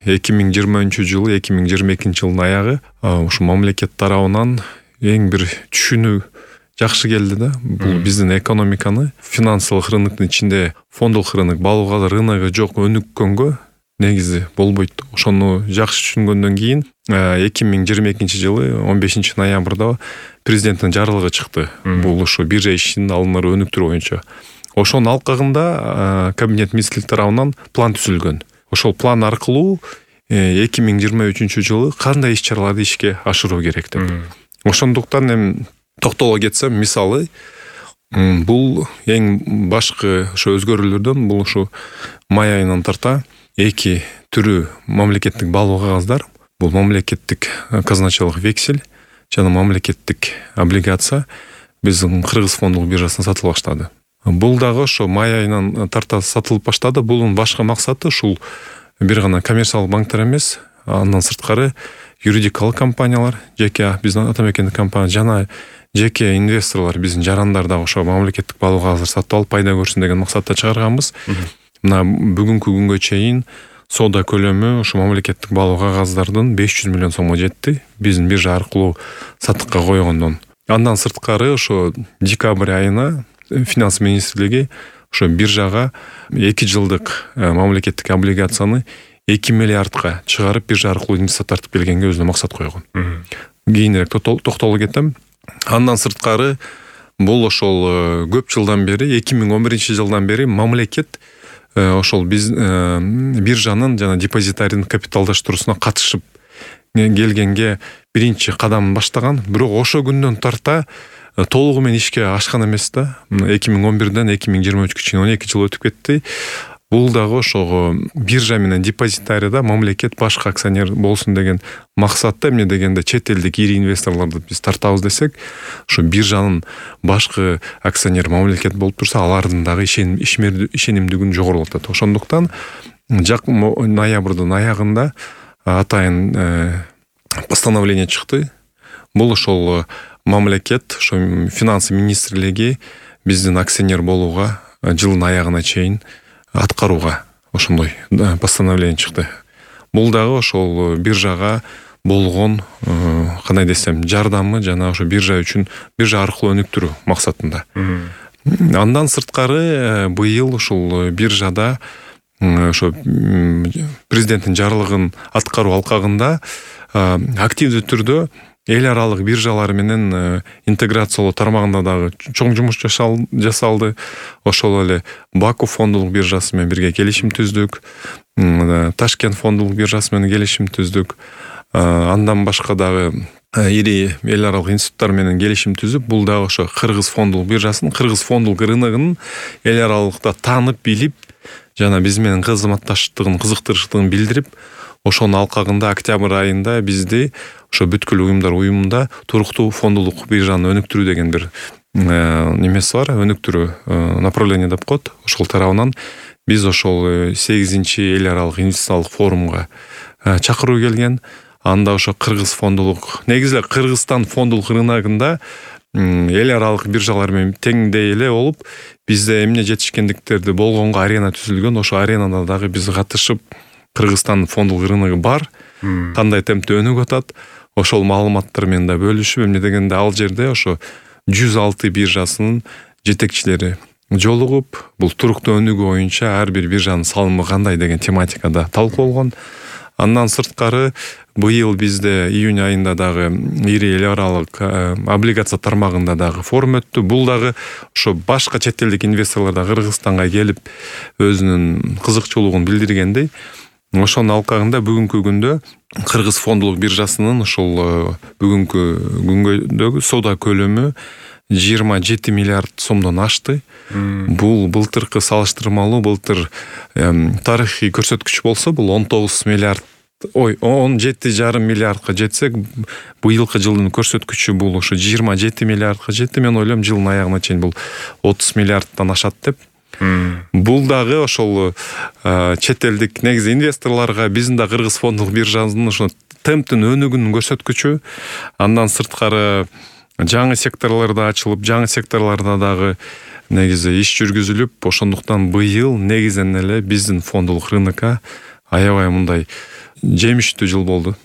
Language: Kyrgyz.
2023-жылы 2022-жылдын аягы ушу мамлекет тарабынан эң бир түшүнүү жакшы келди да. Бул биздин экономиканы финансылык рыноктун ичинде фондулук рынок, балык рыногу жок өнүккөнгө негизи болбойт. Ошону жакшы түшүнгөндөн кийин 2022-жылы 15-ноябрда президенттин жарлыгы чыкты. Бул ушу биржа ишин алыныр өнүктүрүү боюнча. Ошонун алкагында кабинет министрлик тарабынан план түзүлгөн. Ошол план аркылуу 2023-жылы кандай иш-чараларды ишке ашыруу керек деп. Ошондуктан эми токтоло кетсем, мисалы, бул эң башкы ошо өзгөрүүлөрдөн бул ушу май айынан тарта эки түрү мамлекеттик баалуу кагаздар. Бул мамлекеттик казначалык вексель жана мамлекеттик облигация биздин Кыргыз фондулук биржасына сатыла баштады. Бул дагы ошо май айынан тарта сатылып баштады. Бунун башкы максаты ушул бир гана коммерциялык банктар эмес, андан сырткары юридикалык компаниялар, жеке биздин ата мекендик компания жана жеке инвесторлор, биздин жарандар дагы ошо мамлекеттик баалуу кагаздар сатып алып пайда көрсүн деген максатта чыгарганбыз. Мына бүгүнкү күнгө чейин соода көлөмү ошо мамлекеттик баалуу кагаздардын 500 миллион сомго жетти. Биздин биржа аркылуу сатыкка койгондон. Андан сырткары ошо декабрь айына Финанс министрлиги ошо биржага 2 жылдык мамлекеттик облигацияны 2 миллиардка чыгарып биржа аркылуу инвестиция тартып келгенге өзүнө максат койгон. Кийинирээк токтоло кетем. Андан сырткары бул ошол көп жылдан бери 2011-жылдан бери мамлекет ошол биз биржанын жана депозитаринин капиталдаштыруусуна катышып келгенге биринчи кадамын баштаган. Бирок ошо күндөн тарта толугу менен ишке ашкан эмес да. 2011-ден 2023-кө чейин 12 жыл өтүп кетти. Бул дагы ошого биржа менен депозитарияда мамлекет башкы акционер болсун деген максатта, эмне дегенде чет элдик ири инвесторлорду биз тартабыз десек, ошо биржанын башкы акционер мамлекет болуп турса, алардын дагы ишенимдүүлүгүн жогорулатат. Ошондуктан ноябрдын аягында атайын постановление чыкты. Бул ошол мамлекет, ошо финанс министрлиги биздин акционер болууга жылдын аягына чейин аткарууга ошондой постановление чыкты. Бул дагы ошол биржага болгон кандай десем жардамы жана ошо биржа үчүн биржа аркылуу өнүктүрүү максатында. Андан сырткары быйыл ушул биржада ошо президенттин жарлыгын аткаруу алкагында активдүү түрдө эл аралык биржалар менен интеграциялоо тармагында дагы чоң жумуш жасалды. Ошол эле Баку фондулук биржасы менен бирге келишим түздүк. Ташкент фондулук биржасы менен келишим түздүк. Андан башка дагы ири эл аралык институттар менен келишим түзүп, бул дагы ошо Кыргыз фондулук биржасын, Кыргыз фондулук рыногунун эл аралыкта таанып билип, жана биз менен кызматташтыгын, кызыктырыштыгын билдирип, ошонун алкагында октябрь айында бизди ошо бүткүл уюмдар уюмунда туруктуу фондулук биржаны өнүктүрүү деген бир немеси бар, өнүктүрүү направление деп коет. Ошол тарабынан биз ошол 8-чи эл аралык инвестициялык форумга чакыруу келген. Анда ошо Кыргыз фондулук, негизи Кыргызстан фондулук рыногунда эл аралык биржалар менен теңдей эле болуп, бизде эмне жетишкендиктерди болгонго арена түзүлгөн. Ошо аренада дагы биз катышып, Кыргызстан фондулук рыногу бар, кандай темпте өнүгүп атат, ошол маалыматтар менен да бөлүшүп, эмне дегенде ал жерде ошо 106 биржасынын жетекчилери жолугуп, бул туруктуу өнүгүү боюнча ар бир биржанын салымы кандай деген тематикада талкуулангон. Андан сырткары быйыл бизде июнь айында дагы ири эл аралык облигация тармагында дагы форум өттү. Бул дагы ошо башка чет элдик инвесторлор да Кыргызстанга келип өзүнүн кызыкчылыгын билдиргендей. Ошонун алкагында бүгүнкү күндө Кыргыз фондулук биржасынын ошол бүгүнкү күнгөдөгү соода көлөмү 27 миллиард сомдон ашты. Бул былтыркы салыштырмалуу, былтыр тарыхый көрсөткүч болсо, бул 17,5 миллиардка жетсек, быйылкы жылдын көрсөткүчү бул ошо 27 миллиардка жетти. Мен ойлойм, жылдын аягына чейин бул 30 миллиардтан ашат деп. Бул дагы ошол чет элдик негизи инвесторлорго биздин да Кыргыз фондулук биржасынын ошо темптин өнүгүүнүн көрсөткүчү. Андан сырткары жаңы секторлордо ачылып, жаңы секторлордо дагы негизи иш жүргүзүлүп, ошондуктан быйыл негизинен эле биздин фондулук рынокко аябай мындай жемиштүү жыл болду.